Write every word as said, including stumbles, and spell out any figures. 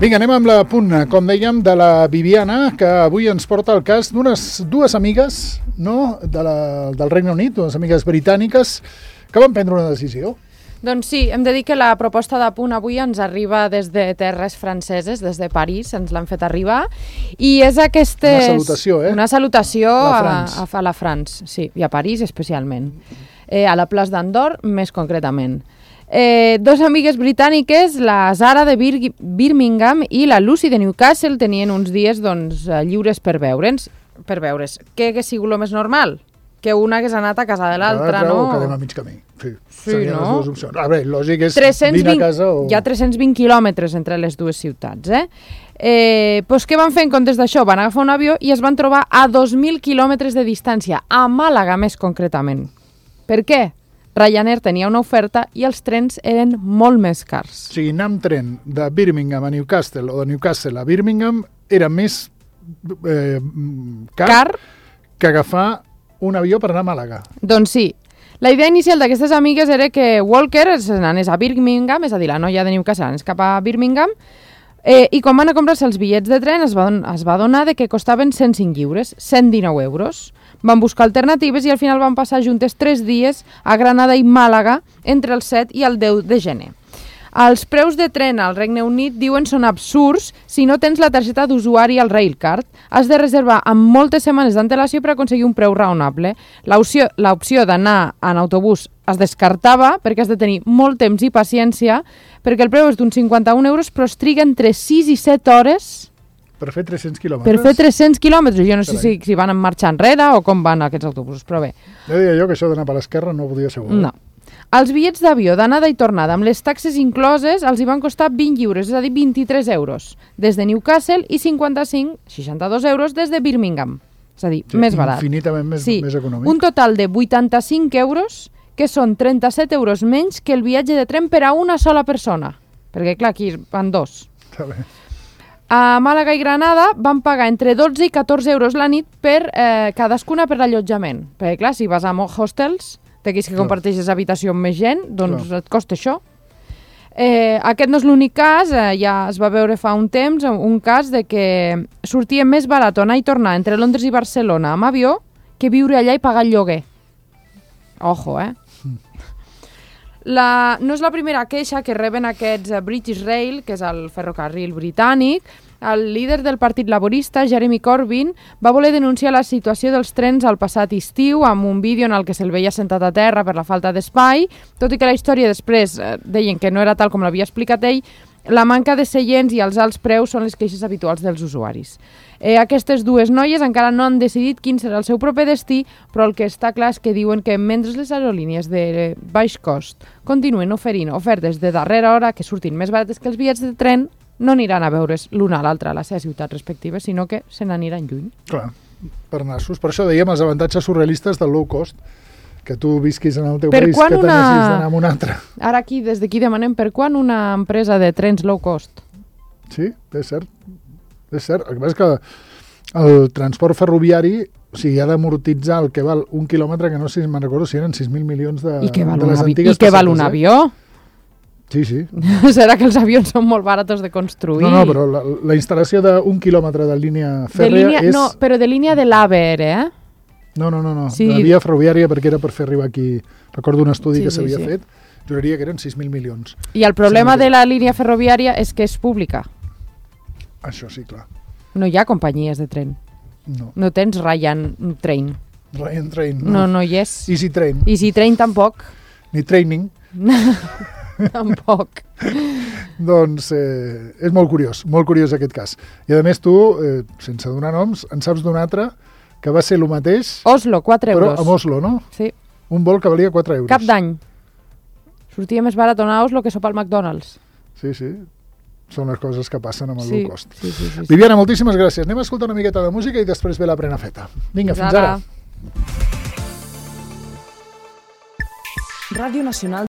Vinga, anem amb la punt, com dèiem, de la Viviana, que avui ens porta el cas d'unes dues amigues, no?, de la, del Regne Unit, dues amigues britàniques, que van prendre una decisió. Doncs sí, hem de dir que la proposta de punt avui ens arriba des de terres franceses, des de París, ens l'han fet arribar, i és aquestes... Una salutació, eh? Una salutació a, a, a, a la France, sí, i a París especialment. Eh, a la plaça d'Andorre, més concretament. Eh, dos amigues britàniques, la Zara de Bir Birmingham i la Lucy de Newcastle, tenien uns dies doncs, lliures per veure'ns. Per veure's. Què hagués sigut el més normal? Que una hagués anat a casa de l'altra, no? O quedem a mig camí. Sí, sí, serien no? les dues opcions. A veure, lògic és tres-cents vint, vine a casa o... Hi ha tres-cents vint quilòmetres entre les dues ciutats, eh? Eh, doncs què van fer en comptes d'això? Van agafar un avió i es van trobar a dos mil quilòmetres de distància, a Màlaga més concretament. Per què? Ryanair tenia una oferta i els trens eren molt més cars. O sigui, anar amb tren de Birmingham a Newcastle o de Newcastle a Birmingham era més eh, car, car que agafar un avió per anar a Màlaga. Doncs sí. La idea inicial d'aquestes amigues era que Walker s'anés a Birmingham, és a dir, la noia de Newcastle anés cap a Birmingham, eh, i quan van a comprar-se els bitllets de tren es va, es va donar de que costaven cent cinc lliures, cent dinou euros. Van buscar alternatives i al final van passar juntes tres dies a Granada i Màlaga entre el set i el deu de gener. Els preus de tren al Regne Unit diuen són absurds si no tens la targeta d'usuari al Railcard. Has de reservar amb moltes setmanes d'antelació per aconseguir un preu raonable. L'opció d'anar en autobús es descartava perquè has de tenir molt temps i paciència, perquè el preu és d'uns cinquanta-un euros, però es triga entre sis i set hores... Per fer tres-cents quilòmetres? Per fer tres-cents quilòmetres. Jo no sé si, si van en marxa enrere o com van aquests autobusos, però bé. Jo deia jo que això d'anar per l'esquerra no ho podia assegurar. No. Els bitllets d'avió d'anada i tornada amb les taxes incloses els hi van costar vint lliures, és a dir, vint-i-tres euros, des de Newcastle i cinquanta-cinc, seixanta-dos euros des de Birmingham. És a dir, sí, més barat. Infinitament més, sí. més econòmic. Un total de vuitanta-cinc euros, que són trenta-set euros menys que el viatge de tren per a una sola persona. Perquè, clar, aquí van dos. Està bé. A Màlaga i Granada van pagar entre dotze i catorze euros la nit per eh, cadascuna per l'allotjament. Perquè, clar, si vas a hostels, d'aquells que comparteixes habitació amb més gent, doncs clar, et costa això. Eh, aquest no és l'únic cas, eh, ja es va veure fa un temps, un cas de que sortia més barat anar i tornar entre Londres i Barcelona amb avió que viure allà i pagar el lloguer. Ojo, eh? La, no és la primera queixa que reben aquests British Rail, que és el ferrocarril britànic. El líder del Partit Laborista, Jeremy Corbyn, va voler denunciar la situació dels trens al passat estiu amb un vídeo en el que se'l veia sentat a terra per la falta d'espai, tot i que la història després eh, deien que no era tal com l'havia explicat ell. La manca de seients i els alts preus són les queixes habituals dels usuaris. Eh, aquestes dues noies encara no han decidit quin serà el seu proper destí, però el que està clar és que diuen que mentre les aerolínies de baix cost continuen oferint ofertes de darrera hora que surtin més barates que els bitllets de tren, no aniran a veure's l'una a l'altra a la seva ciutat respectiva, sinó que se n'aniran lluny. Clar, per nassos. Per això dèiem els avantatges surrealistes del low cost, que tu visquis en el teu per país, que una... t'anessis d'anar amb un altre. Ara aquí, des d'aquí demanem per quan una empresa de trens low cost? Sí, és cert. És cert. El que passa és que el transport ferroviari, o sigui, ha d'amortitzar el que val un quilòmetre, que no sé si me'n recordo si eren sis mil milions de, I què val de les un antigues I què val un eh? avió? Sí, sí. Serà que els avions són molt baratos de construir? No, no, però la, la instal·lació d'un quilòmetre de línia fèrrea de línia, és... No, però de línia de l'A V E R, eh? No, no, no, no. Sí. De la via ferroviària, perquè era per fer arribar aquí... Recordo un estudi sí, que s'havia sí, sí. fet, juraria que eren sis mil milions. I el problema sí, de la línia ferroviària és que és pública. Això sí, clar. No hi ha companyies de tren. No. No tens Ryan Train. Ryan Train, no. No, no hi és. Easy Train. Easy Train tampoc. Ni Training. Tampoc. Doncs eh, és molt curiós, molt curiós aquest cas. I a més tu, eh, sense donar noms, en saps d'un altre que va ser el mateix... Oslo, quatre euros. Però amb Oslo, no? Sí. Un vol que valia quatre euros. Cap d'any. Sortia més barat anar a Oslo que sopar al McDonald's. Sí, sí. Són les coses que passen amb el sí, low cost. Sí, sí, sí, sí. Viviana, moltíssimes gràcies. Anem a escoltar una miqueta de música i després ve la Prenafeta. Vinga, fins, fins ara. Ràdio Nacional